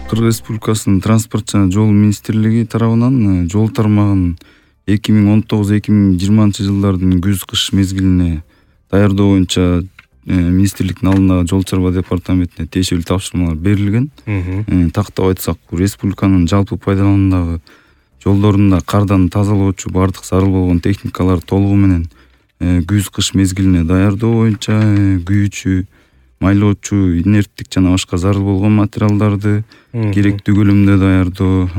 Кыргыз Республикасынын транспорт жана жол министрлиги тарабынан жол тармагын 2019-2020 жылдардын күз-кыш мезгилине даярдоо боюнча министрликтин алдындагы жол чарба департаментине тиешелүү тапшырмалар берилген. Тактап айтсак, республиканын жалпы пайдаланымдагы жолдорунда кардан тазалоочу бардык зарыл болгон техникалар толугу менен күз-кыш мезгилине даярдоо боюнча күйүүчү, майлоочу, инерттик жана башка зарыл болгон материалдарды керектүү көлөмдө даярдоо,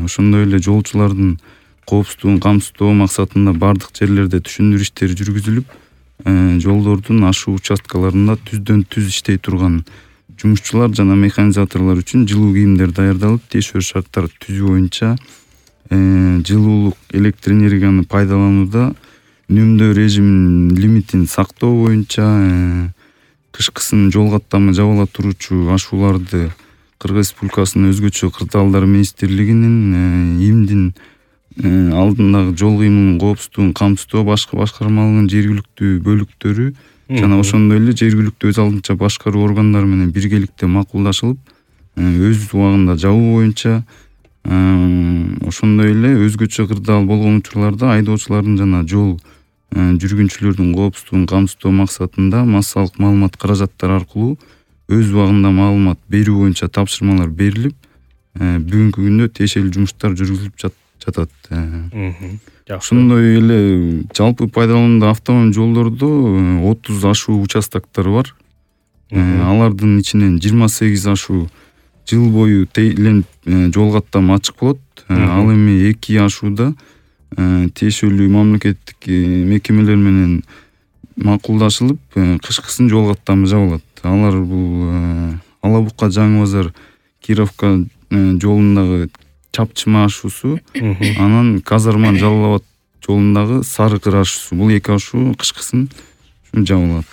ошондой эле жолчулардын коопсуздугун камсыздоо максатында бардык жерлерде түшүндүрүү иштери жүргүзүлүп, жолдордун ашуу участкаларында түздөн-түз иштей турган жумушчулар жана механизаторлор үчүн жылуу кийимдер даярдалып, тиешелүү шарттар түзүү боюнча жылуулук, электр энергияны пайдаланууда үнөмдөө режиминин лимитин сактоо боюнча кышкысын жол каттамы жабыла туруучу ашууларды Кыргыз Республикасынын өзгөчө кырдаалдар министрлигинин ИИМдин алдындагы жол кыймылынын коопсуздугун камсыздоо башкармалыгынын жергиликтүү бөлүктөрү жана ошондой эле жергиликтүү өз алдынча башкаруу органдары менен биргеликте макулдашылып, өз убагында жабуу боюнча, ошондой эле өзгөчө кырдаал болгон учурларда айдоочулардын жана жол жүргүнчүлөрдүн коопсуздугун камсыздоо максатында массалык маалымат каражаттары аркылуу өз убагында маалымат берүү боюнча тапшырмалар берилип, бүгүнкү күндө тиешелүү жумуштар жүргүзүлүп жатат. Ошондой эле жалпы пайдаланымда автомобиль жолдордо 30 ашуу участоктор бар. Алардын ичинен 28 ашуу жыл бою тейленип жол каттамы ачык болот. Ал эми 2 ашууда тиешелүү мамлекеттик мекемелер менен макулдашылып, кышкысын жол каттамы жабылат. Алар бул Ала-Бука Жаңы Базар Кировка жолундагы Чапчыма ашуусу, анан Казарман Жалал Абад жолундагы Сары Кыр ашуусу. Бул 2 ашуу кышкысын жабылат.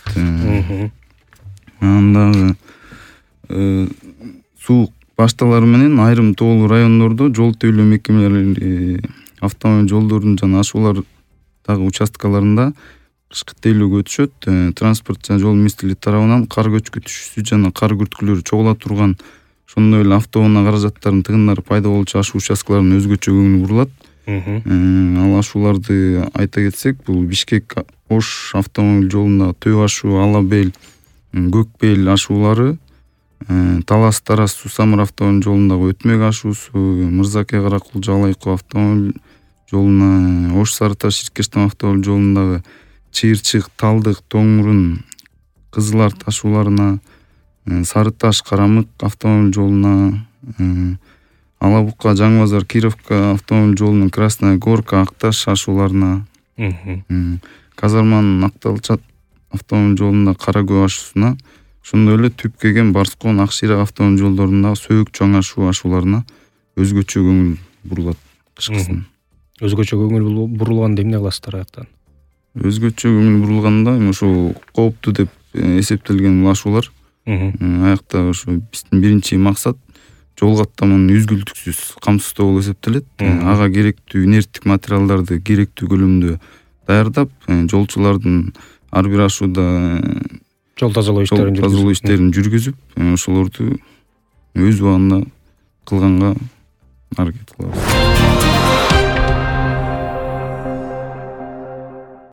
Анан суук башталары менен айрым тоолуу райондордо жол тейлөө мекемелери автомобиль жолдорунун жана ашуулардагы участкаларында кышкы тейлөөгө өтүшөт. Транспорт жана жол министрлиги тарабынан кар көчкүтүүчүсү жана кар күрткүлөрү чогула турган, ошондой эле автоунаа каражаттарынын тыгындары пайда болчу ашуу участкаларына өзгөчө көңүл бурулат. Ал ашууларды айта кетсек, бул Бишкек-Ош автомобиль жолундагы Төө ашуу, Ала-Бел, Көкбел ашуулары, Талас-Тарас Сусамыр автомобиль жолундагы Өтмөк ашуусу, Мырзаке-Каракулжа Алайкоо автомобиль жолуна, Ош-Сары-Таш Иркештам автомобиль жолундагы Чыйырчык, Талдык, Тоң-Мурун, Кызыл-Арт ашууларына, Сары-Таш, Карамык автомобиль жолуна, Ала-Бука Жаңы Базар Кировка автомобиль жолунун Красная Горка, Акташ ашууларына, Казарман Акталчат автомобиль жолунда Каракөө ашуусуна, ошондой эле Түпкеген, Барскон, Акшыйрак автомобиль жолдорунда Сөөк Чоң ашууларына өзгөчө көңүл бурулат кышкысын. Өзгөчө көңүл бурулганда эмне кыласыздар аяктан? Өзгөчө көңүл бурулганда ошо кооптуу деп эсептелген бул ашуулар. Аякта ошо биздин биринчи максат жол каттамынын үзгүлтүксүз камсыздоо болуп эсептелет. Ага керектүү инерттик материалдарды керектүү көлөмдө даярдап, жолчулардын ар бир ашууда жол тазалоо иштерин жүргүзүп, ошолорду өз убагында кылганга аракет кылабыз.